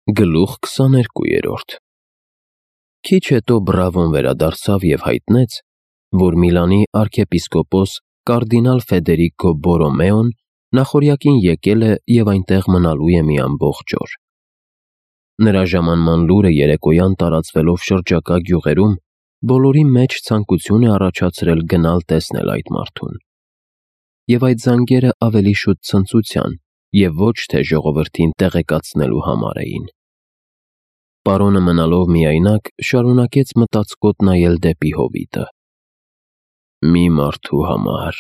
Գլուխ 22 Քիչ հետո Բրավոն վերադարձավ և հայտնեց, որ Միլանի արքեպիսկոպոս կարդինալ Ֆեդերիկո Բորոմեոն նախօրյակին եկել է և այնտեղ մնալու է մի ամբողջ օր։ Նրա ժամանման լուրը երեկոյան տարածվելով շրջակա գյուղերում, բոլորի մեջ ցանկություն է առաջացրել գնալ տեսնել այդ մարդուն։ Եվ այդ զանգերը ավելի շուտ ցնծության և ոչ թե ժողովրդին տեղեկացնելու համար էին։ Պարոնը մնալով միայնակ, շարունակեց մտածկոտ նայել դեպի հովիտը։ Մի մարդու համար,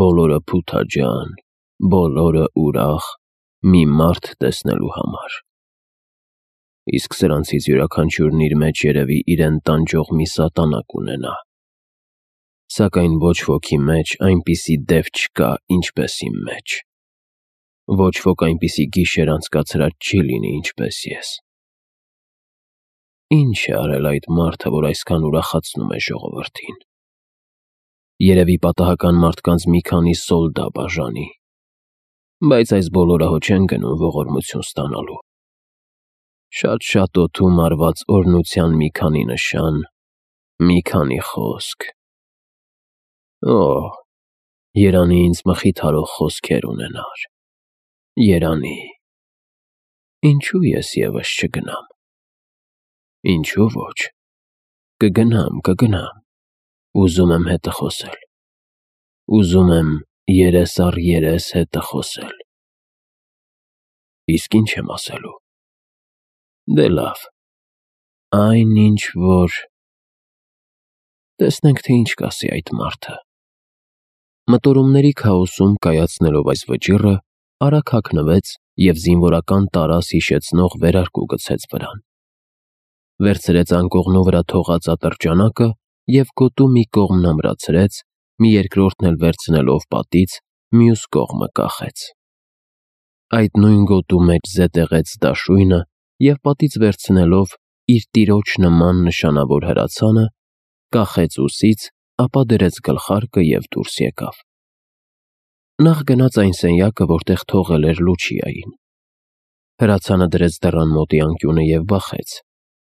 բոլորը փութաջան, բոլորը ուրախ, մի մարդ տեսնելու համար։ Իսկ սրանցից յուրաքանչյուրն իր մեջ երևի իրեն տանջող մի սատանա կունենա։ Սակայն ոչ ոքի մեջ այնպիսի դև չկա, ինչպես իմ մեջ։ Ոչ ոք այնպիսի գիշեր անցկացրած չի լինի, ինչպես ես։ Ինչ է արել այդ մարդը, որ այսքան ուրախացնում է ժողովրդին։ Երևի պատահական մարդկանց մի քանի սոլդա բաժանի, բայց այս բոլորը հո չեն գնում ողորմություն ստանալու։ Շատ-շատ օդում արված օրհնության մի քանի նշան, մի քանի խոսք։ Երանի ինձ մխիթարող խոսքեր ունենար։ Երանի։ Ինչու ես ևս չգնամ։ Ինչու ոչ։ Կգնամ։ Ուզում եմ հետը խոսել։ Ուզում եմ երես առ երես հետը խոսել։ Իսկ ինչ եմ ասելու։ Դե լավ։ Այն ինչ որ… Տեսնենք, թե ինչ կասի այդ մարդը։ Մտորումների քաոսում կայացնելով այս վճիռը, արագ հագնվեց և զինվորական տարաս հիշեցնող վերարկու գցեց վրան։ Վերցրեց անկողնու վրա թողած ատրճանակը և գոտու մի կողմն ամրացրեց, մի երկրորդն էլ վերցնելով պատից, մյուս կողմը կախեց։ Այդ նույն գոտու մեջ զետեղեց դաշույնը և պատից վերցնելով իր տիրոջ նման նշանավոր հրացանը, կախեց ուսից, ապա դրեց գլխարկը և դուրս եկավ։ Նախ գնաց այն սենյակը, որտեղ թողել էր Լուչիային։ Հրացանը դրեց դռան մոտի անկյունը և բախեց,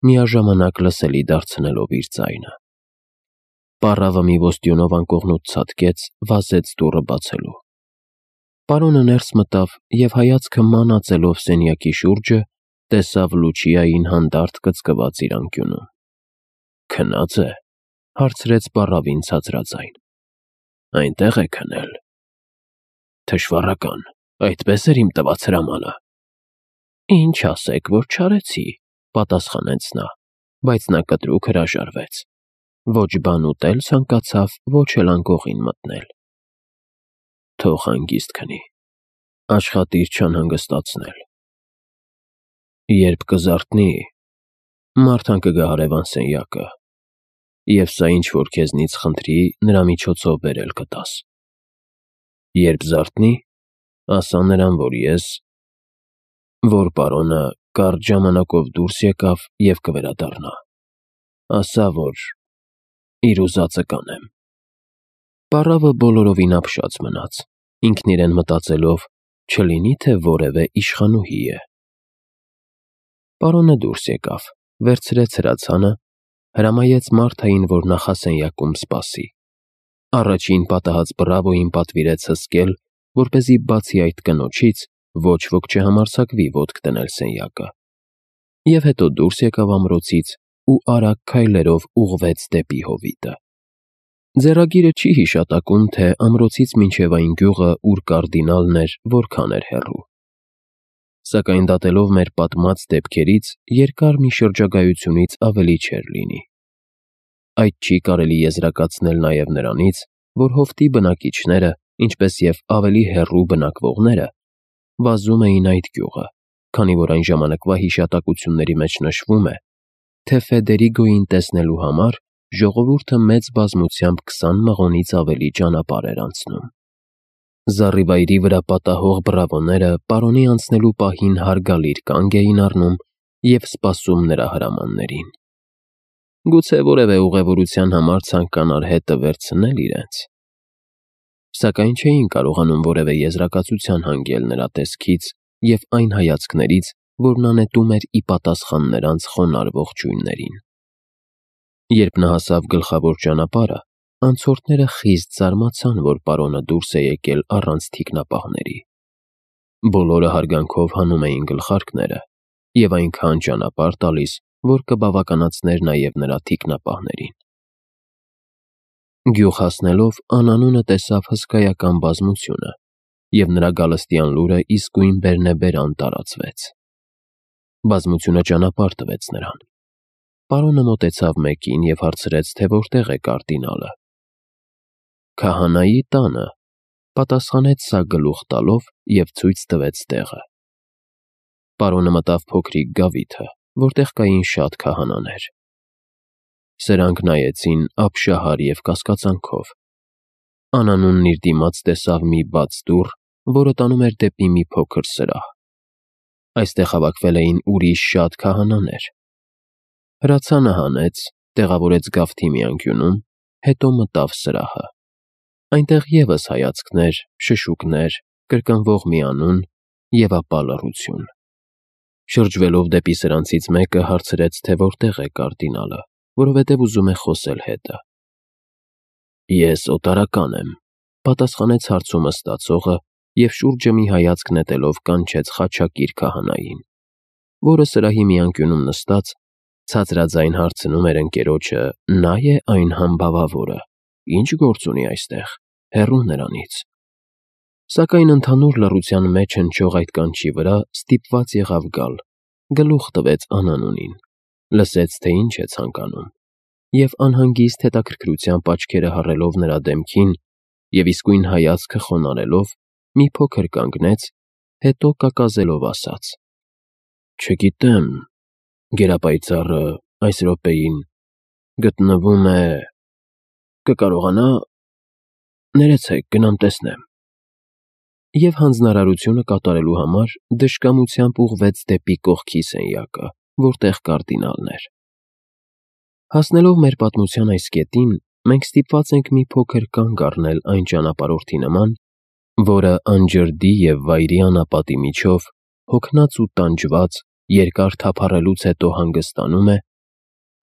միաժամանակ լսելի դարձնելով իր ձայնը։ Պառավը մի ոստյունով անկողնուց ցատկեց, վազեց դուռը բացելու։ Պարոնը ներս մտավ և հայացքը մանածելով սենյակի շուրջը, տեսավ Լուչիային հանդարտ կծկված իր անկյունում։ Քնա՞ծ է, հարցրեց պառավին ցածրաձայն։ Այնտեղ է քնել։ Թշվառական, այդպես էր իմ տված հրամանը։ Ինչ ասեք, որ չարեցի, պատասխանեց նա, բայց նա կտրուկ հրաժարվեց։ Ոչ բան ուտել ցանկացավ, ոչ էլ անկողին մտնել։ Թող հանգիստ քնի, աշխատիր չանհանգստացնել։ Երբ կզարթնի, Մարթան կգա հարևան սենյակը, և սա ինչ որ քեզնից խնդրի, նրա միջոցով բերել կտաս։ Երբ զարթնի, ասա նրան, որ պարոնը կարճ ժամանակով դուրս եկավ և կվերադառնա։ Ասա, որ իր ուզածը կանեմ։ Պառավը բոլորովին ապշած մնաց, ինքն իրեն մտածելով, չլինի թե որևէ իշխանուհի է։ Պարոնը դուրս եկավ, վերցրեց հրացանը, հրամայեց Մարթային, որ նախասենյակում սպասի։ Առաջին պատահած Բրավոյին պատվիրեց հսկել, որպեսզի բացի այդ կնոջից ոչ ոք չհամարձակվի ոտք դնել սենյակը, և հետո դուրս եկավ ամրոցից ու արագ քայլերով ուղղվեց դեպի հովիտը։ Ձեռագիրը չի հիշատակում, թե ամրոցից մինչև այն գյուղը, ուր կարդինալն էր, որքան էր հեռու։ Սակայն դատելով մեր պատմած դեպքերից, երկար մի շրջագայությունից ավելի չէր լինի։ Այդ չի կարելի եզրակացնել նաև նրանից, որ հովտի բնակիչները, ինչպես և ավելի հեռու բնակվողները, վազում էին այդ գյուղը, քանի որ այն ժամանակվա հիշատակությունների մեջ նշվում է, թե Ֆեդերիկոյին տեսնելու համար ժողովուրդը մեծ բազմությամբ 20 մղոնից ավելի ճանապարհ էր անցնում։ Զառիվայրի վրա պատահող բրավոները պարոնի անցնելու պահին հարգալիր կանգ էին առնում և սպասում նրա հրամաններին։ Գուցե որևէ ուղևորության համար ցանկանար հետը վերցնել իրենց։ Սակայն չէին կարողանում որևէ եզրակացության հանգել նրա տեսքից և այն հայացքներից, որն անետում էր ի պատասխան նրանց խոնարհ ողջույններին։ Երբ նա հասավ գլխավոր ճանապարհը, անցորդները խիստ զարմացան, որ պարոնը դուրս է եկել առանց թիկնապահների։ Բոլորը հարգանքով հանում էին գլխարկները և այնքան ճանապարհ տալիս, որ կբավականացներ նաև նրա թիկնապահներին։ Գյուղ հասնելով անանունը տեսավ հսկայական բազմությունը, և նրա գալստյան լուրը իսկույն բերնեբերան տարածվեց։ Բազմությունը ճանապարհ տվեց նրան։ Պարոնը մոտեցավ մեկին և հարցրեց, թե որտեղ է կարդինալը։ «Քահանայի տանը», պատասխանեց սա գլուխ տալով և ցույց տվեց տեղը։ Պարոնը մտավ փոքրիկ գավիթը, որտեղ կային շատ քահանաներ։ Սրանք նայեցին ապշահար և կասկածանքով։ Անանունն իր դիմաց տեսավ մի բաց դուռ, որը տանում էր դեպի մի փոքր սրահ։ Այստեղ հավաքվել էին ուրիշ շատ քահանաներ։ Հրացանը հանեց, տեղավորեց գավթի մի անկյունում, հետո մտավ սրահը։ Այնտեղ ևս հայացքներ, շշուկներ, կրկնվող մի անուն և ապա լռություն։ Շրջվելով դեպի սրանցից մեկը հարցրեց, թե որտեղ է կարդինալը, որովհետև ուզում է խոսել հետը։ «Ես օտարական եմ», պատասխանեց հարցումը ստացողը և շուրջը մի հայացք նետելով կանչեց խաչակիր քահանային, որը սրահի մի անկյունում նստած ցածրաձայն հարցնում էր ընկերոջը. «Նա է այն համբավավորը, ինչ գործ ունի այստեղ, հեռու նրանից»։ Սակայն ընդհանուր լռության մեջ հնչող այդ կանչի վրա ստիպված եղավ գալ, գլուխ տվեց անանունին, լսեց, թե ինչ է ցանկանում, և անհանգիստ հետաքրքրությամբ աչքերը հառելով նրա դեմքին և իսկույն հայացքը խոնարհելով, մի փոքր կանգնեց, հետո կակազելով ասաց. «Չգիտեմ, գերապայծառը այս րոպեին գտնվում է… կկարողանա… ներեցեք, գնամ տեսնեմ»։ Եվ հանձնարարությունը կատարելու համար դժկամությամբ ուղղվեց դեպի կողքի սենյակը, որտեղ կարդինալն էր։ Հասնելով մեր պատմության այս կետին, մենք ստիպված ենք մի փոքր կանգ առնել այն ճանապարհորդի նման, որը անջրդի և վայրի անապատի միջով, հոգնած ու տանջված, երկար թափառելուց հետո հանգստանում է,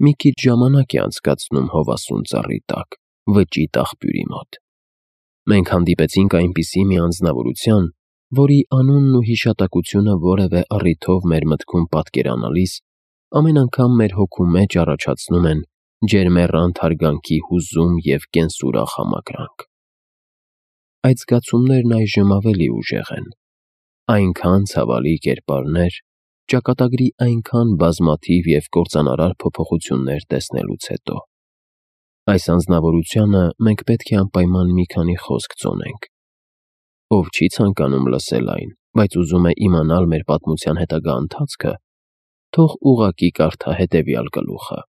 մի քիչ ժամանակ է անցկացնում հովասուն ծառի տակ, վճիտ աղբյուրի մոտ։ Մենք հանդիպեցինք այնպիսի մի անձնավորության, որի անունն ու հիշատակությունը որևէ առիթով մեր մտքում պատկերանալիս, ամեն անգամ մեր հոգու մեջ առաջացնում են ջերմեռանդ հարգանքի հուզում և կենսուրախ համակրանք։ Այդ զգացումներն այժմ ավելի ուժեղ են։ Այնքան ցավալի կերպարներ, ճակատագրի այնքան բազմաթիվ և կործանարար փոփոխություններ տեսնելուց հետո։ Այս անձնավորությանը մենք պետք է անպայման մի քանի խոսք ծոնենք։ Ով չի ցանկանում լսել այն, բայց ուզում է իմանալ մեր պատմության հետագա ընթացքը, թող ուղղակի կարդա հետևյալ գլուխը։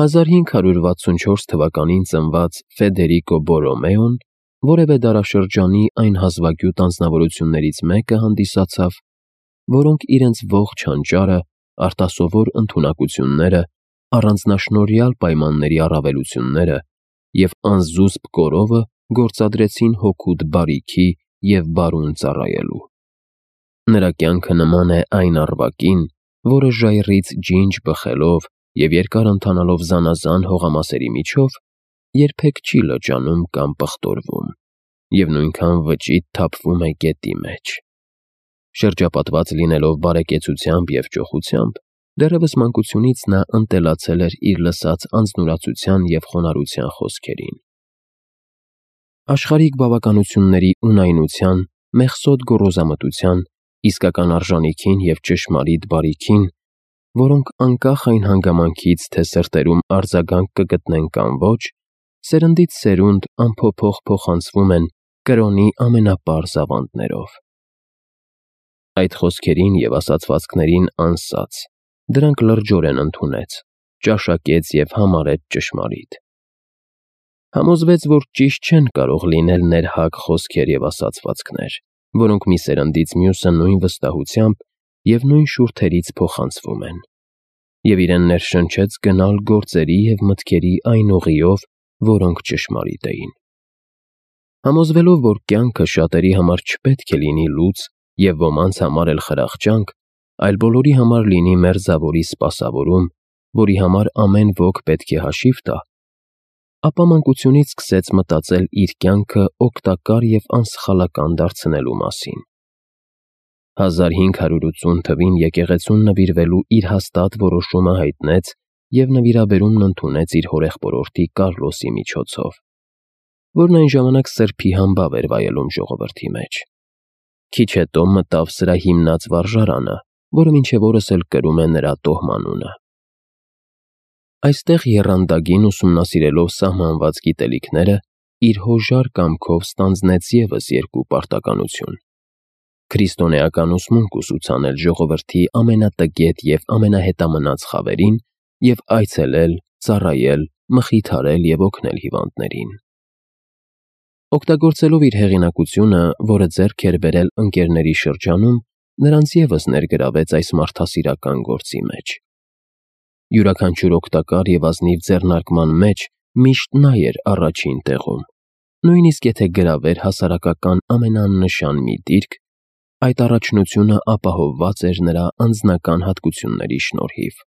1564 թվականին ծնված Ֆեդերիկո Բորոմեոն որևէ դարաշրջանի այն հազվագյուտ անձնավորություններից մեկը հանդիսացավ, որոնք իրենց ողջ հանճարը, արտասովոր ընդունակությունները, առանձնաշնորհյալ պայմանների առավելությունները և անզուսպ կորովը գործադրեցին հօգուտ բարիքի և բարուն ծառայելու։ Նրա կյանքը նման է այն առվակին, որը ժայռից ջինջ բխելով և երկար ընթանալով զանազան հողամասերի միջով, երբեք չի լճանում կամ պղտորվում, և նույնքան վճիտ թափվում է գետի մեջ։ Շրջապատված լինելով բարեկեցությամբ և ճոխությամբ, դեռևս մանկությունից նա ընտելացել էր իր լսած անձնուրացության և խոնարհության խոսքերին։ Աշխարհիկ բավականությունների ունայնության, մեղսոտ գոռոզամտության, իսկական արժանիքին և ճշմարիտ բարիքին, որոնք անկախ այն հանգամանքից, թե սրտերում արձագանք կգտնեն կամ ոչ, սերնդից սերունդ անփոփոխ փոխանցվում են կրոնի ամենապարզ ավանդներով։ Այդ խոսքերին և ասացվածքներին անսաց, դրանք լրջորեն ընդունեց, ճաշակեց և համարեց ճշմարիտ։ Համոզվեց, որ ճիշտ չեն կարող լինել ներհակ խոսքեր և ասացվածքներ, որոնք մի սերնդից մյուսը նույն վստահությամբ և նույն շուրթերից փոխանցվում են, և իրեն ներշնչեց գնալ գործերի և մտքերի այն ուղիով, որոնք ճշմարիտ էին։ Համոզվելով, որ կյանքը շատերի համար չպետք է լինի լուծ և ոմանց համար էլ խրախճանք, այլ բոլորի համար լինի մերձավորի սպասավորում, որի համար ամեն ոք պետք է հաշիվ տա, ապա մանկությունից սկսեց մտածել իր կյանքը օգտակար և անսխալական դարձնելու մասին։ 1580 թվին եկեղեցուն նվիրվելու իր հաստատ որոշումը հայտնեց և նվիրաբերումն ընդունեց իր հորեղբորորդի Կարլոսի միջոցով, որն այն ժամանակ սրբի համբավ էր վայելում ժողովրդի մեջ։ Քիչ հետո մտավ սրա հիմնած վարժարանը, որը մինչև օրս էլ կրում է նրա տոհմանունը։ Այստեղ եռանդագին ուսումնասիրելով սահմանված գիտելիքները, իր հոժար կամքով ստանձնեց ևս երկու պարտականություն. քրիստոնեական ուսմունք ուսուցանել ժողովրդի ամենատգետ և ամենահետամնաց խավերին և այցելել, ծառայել, մխիթարել և օգնել հիվանդներին։ Օգտագործելով իր հեղինակությունը, որը ձեռք էր բերել ընկերների շրջանում, նրանց ևս ներգրավեց այս մարդասիրական գործի մեջ։ Յուրաքանչյուր օգտակար և ազնիվ ձեռնարկման մեջ միշտ նա էր առաջին տեղում, նույնիսկ եթե գրավեր հասարակական ամենաաննշան մի դիրք, այդ առաջնությունը ապահովված էր նրա անձնական հատկությունների շնորհիվ։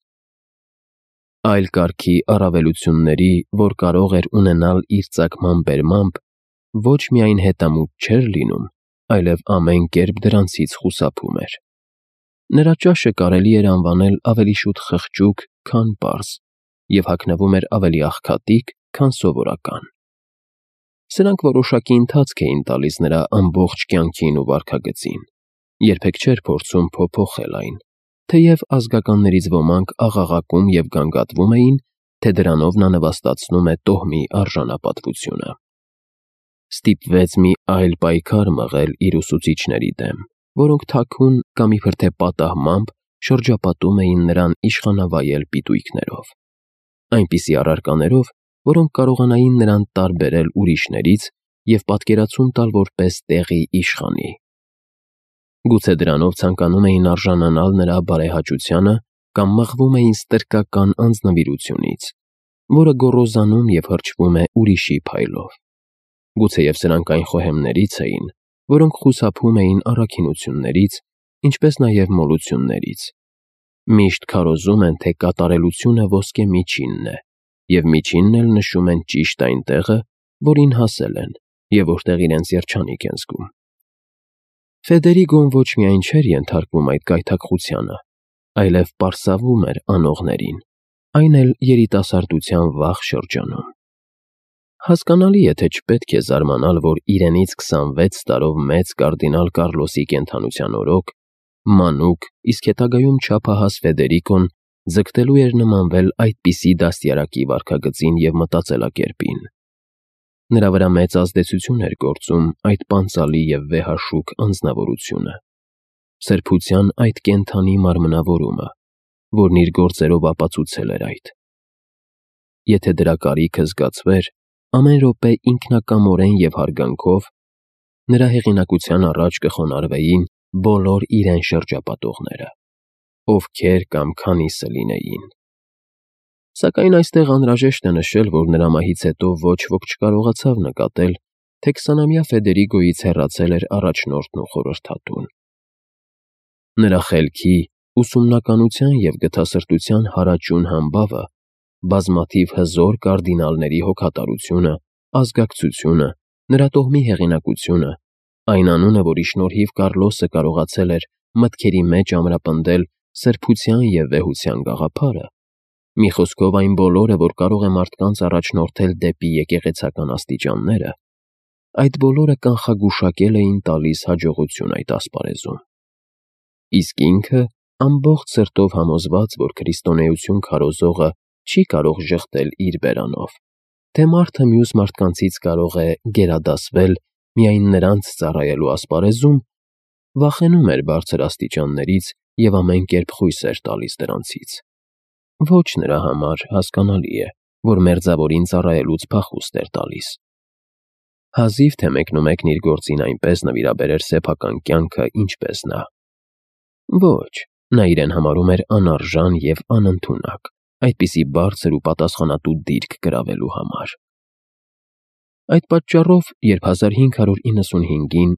Այլ կարգի առավելությունների, որ կարող էր ունենալ իր ծագման բերմամբ, ոչ միայն հետամուտ չէր լինում, այլև ամեն կերպ դրանցից խուսափում էր։ Նրա ճաշը կարելի էր անվանել ավելի շուտ խղճուկ, քան պարզ, և հագնվում էր ավելի աղքատիկ, քան սովորական։ Սրանք որոշակի ընթացք էին տալիս նրա ամբողջ կյանքին ու վարքագծին, երբեք չէր փորձում փոփոխել այն, թեև ազգականներից ոմանք աղաղակում և գանգատվում էին, թե դրանով նա նվաստացնում է տոհմի արժանապատվությունը։ Ստիպվեց մի այլ պայքար մղել իր ուսուցիչների դեմ, որոնք թաքուն կամ իբրթե պատահմամբ շրջապատում էին նրան իշխանավայել պիտույքներով, այնպիսի առարկաներով, որոնք կարողանային նրան տարբերել ուրիշներից և պատկերացում տալ որպես տեղի իշխանի։ Գուցե դրանով ցանկանում էին արժանանալ նրա բարեհաճությանը կամ մղվում էին ստրկական անձնվիրությունից, որը գոռոզանում և հրճվում է ուրիշի փայլով։ Գուցեև սրանք այն խոհեմներից էին, որոնք խուսափում էին առաքինություններից, ինչպես նաև մոլություններից։ Միշտ քարոզում են, թե կատարելությունը ոսկե միջինն է, և միջինն էլ նշում են ճիշտ այն տեղը, որին հասել են և որտեղ իրենց երջանիկ են զգում։ Ֆեդերիգոն ոչ միայն չէր ենթարկվում այդ գայթակղությանը, այլև պարսավում էր անողներին, այն էլ երիտասարդության վաղ շրջանում։ Հասկանալի է, թե չպետք է զարմանալ, որ իրենից 26 տարով մեծ կարդինալ Կարլոսի կենդանության օրոք մանուկ, իսկ հետագայում չափահաս Ֆեդերիկոն ձգտելու էր նմանվել այդպիսի դաստիարակի վարքագծին և մտածելակերպին։ Նրա վրա մեծ ազդեցություն էր գործում այդ պանծալի և վեհաշուք անձնավորությունը, սրբության այդ կենդանի մարմնավորումը, որն իր գործերով ապացուցել էր այդ։ Եթե դրա կարիքը զգացվեր, ամեն րոպե ինքնակամորեն և հարգանքով, նրա հեղինակության առաջ կխոնարհվեին բոլոր իրեն շրջապատողները, ովքեր կամ քանիսը լինեին։ Սակայն այստեղ անհրաժեշտ է նշել, որ նրա մահից հետո ոչ ոք չկարողացավ նկատել, թե 20-ամյա Ֆեդերիգոյից հեռացել էր առաջնորդն ու խորհրդատուն։ Նրա խելքի, ուսումնականության և գթասրտության հարաճուն համբավը, բազմաթիվ հզոր կարդինալների հոգատարությունը, ազգակցությունը, նրա տոհմի հեղինակությունը, այն անունը, որի շնորհիվ Կարլոսը կարողացել էր մտքերի մեջ ամրապնդել սրբության և վեհության գաղափարը, մի խոսքով այն բոլորը, որ կարող է մարդկանց առաջնորդել դեպի եկեղեցական աստիճանները, այդ բոլորը կանխագուշակել էին տալիս հաջողություն այդ ասպարեզում։ Իսկ ինքը ամբողջ սրտով համոզված, որ քրիստոնեություն քարոզողը չի կարող ժխտել իր բերանով, թե մարդը մյուս մարդկանցից կարող է գերադասվել միայն նրանց ծառայելու ասպարեզում, վախենում էր բարձր աստիճաններից և ամեն կերպ խույս էր տալիս դրանցից։ Ոչ նրա համար հասկանալի է, որ մերձավորին ծառայելուց փախուստ էր տալիս։ Հազիվ թե մեկնումեկն իր գործին այնպես նվիրաբերեր սեփական կյանքը, ինչպես նա։ Ոչ, նա իրեն համարում էր անարժան և անընդունակ այդպիսի բարձր ու պատասխանատու դիրք գրավելու համար։ Այդ պատճառով, երբ 1595-ին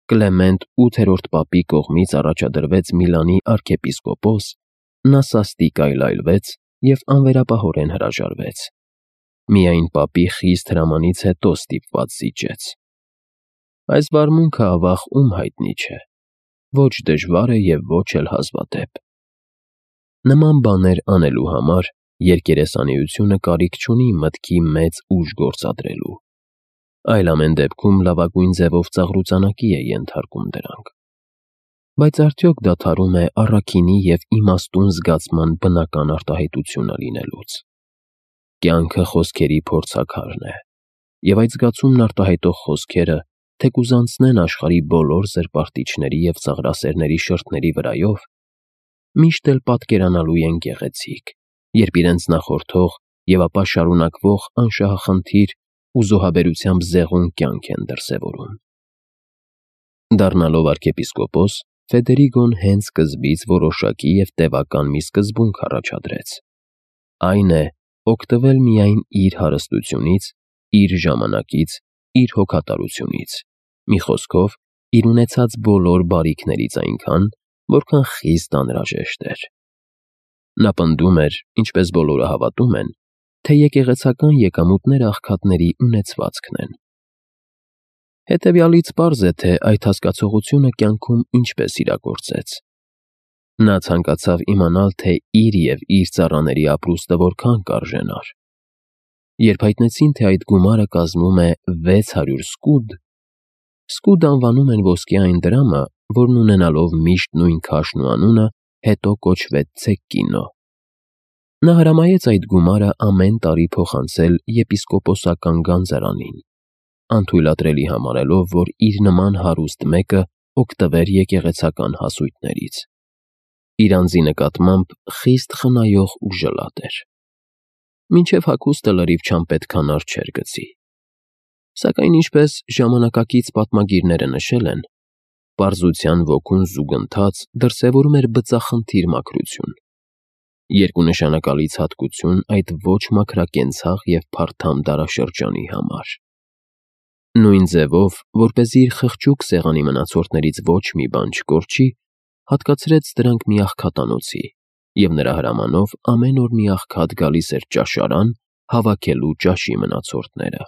Կլեմենտ 8-րդ պապի կողմից առաջադրվեց Միլանի արքեպիսկոպոս, նա սաստիկ այլայլվեց և անվերապահորեն հրաժարվեց։ Միայն պապի խիստ հրամանից հետո ստիպված զիջեց։ Այս վարմունքը ավաղ ում հայտնի չէ, ոչ դժվար է և ոչ էլ հազվադեպ։ Նման բաներ անելու համար երկերեսանիությունը կարիք չունի մտքի մեծ ուժ գործադրելու, այլ ամեն դեպքում լավագույն ձևով ծաղրուծանակի է ենթարկում դրանք։ Բայց արդյոք դադարում է առաքինի և իմաստուն զգացման բնական արտահայտությունը լինելուց։ Կյանքը խոսքերի փորձաքարն է, և այդ զգացումն արտահայտող խոսքերը, թեկուզ անցնեն աշխարհի բոլոր զրպարտիչների և ծաղրասերների շրթների վրայով, միշտ էլ պատկերանալու են գեղեցիկ, երբ իրենց նախորդող և ապա շարունակվող անշահախնդիր ու զոհաբերությամբ զեղուն կյանք են դրսևորում։ Դառնալով արքեպիսկոպոս, Ֆեդերիգոն հենց սկզբից որոշակի և տևական մի սկզբունք առաջադրեց։ Այն է օգտվել միայն իր հարստությունից, իր ժամանակից, իր հոգատարությունից, մի խոսքով, իր ունեցած բոլոր բարիքներից այնքան, որքան խիստ անհրաժեշտ էր։ Նա պնդում էր, ինչպես բոլորը հավատում են, թե եկեղեցական եկամուտները աղքատների ունեցվածքն են։ Հետևյալից պարզ է, թե այդ հասկացողությունը կյանքում ինչպես իրագործեց։ Նա ցանկացավ իմանալ, թե իր և իր ծառաների ապրուստը որքան կարժենար։ Երբ հայտնեցին, թե այդ գումարը կազմում է 600 սկուդ (սկուդ անվանում են ոսկե այն դրամը, որն ունենալով միշտ նույն քաշն ու անունը, հետո կոչվեց ցեկկինո), նա հրամայեց այդ գումարը ամեն տարի փոխանցել եպիսկոպոսական գանձարանին, անթույլատրելի համարելով, որ իր նման հարուստ մեկը օգտվեր եկեղեցական հասույթներից։ Իր անձի նկատմամբ խիստ խնայող ու ժլատ էր։ Մինչև հագուստը լրիվ չանպետքանար չէր գցի։ Սակայն ինչպես ժամանակակից պատմագիրները նշել են, պարզության ոգուն զուգընթաց դրսևորում էր բծախնդիր մաքրություն, երկունշանակալից հատկություն այդ ոչ մաքրակենցաղ և փարթամ դարաշրջանի համար։ Նույն ձևով, որպեսզի իր խղճուկ սեղանի մնացորդներից ոչ մի բան չկորչի, հատկացրեց դրանք մի աղքատանոցի, և նրա հրամանով ամեն օր մի աղքատ գալիս էր ճաշարան՝ հավաքելու ճաշի մնացորդները։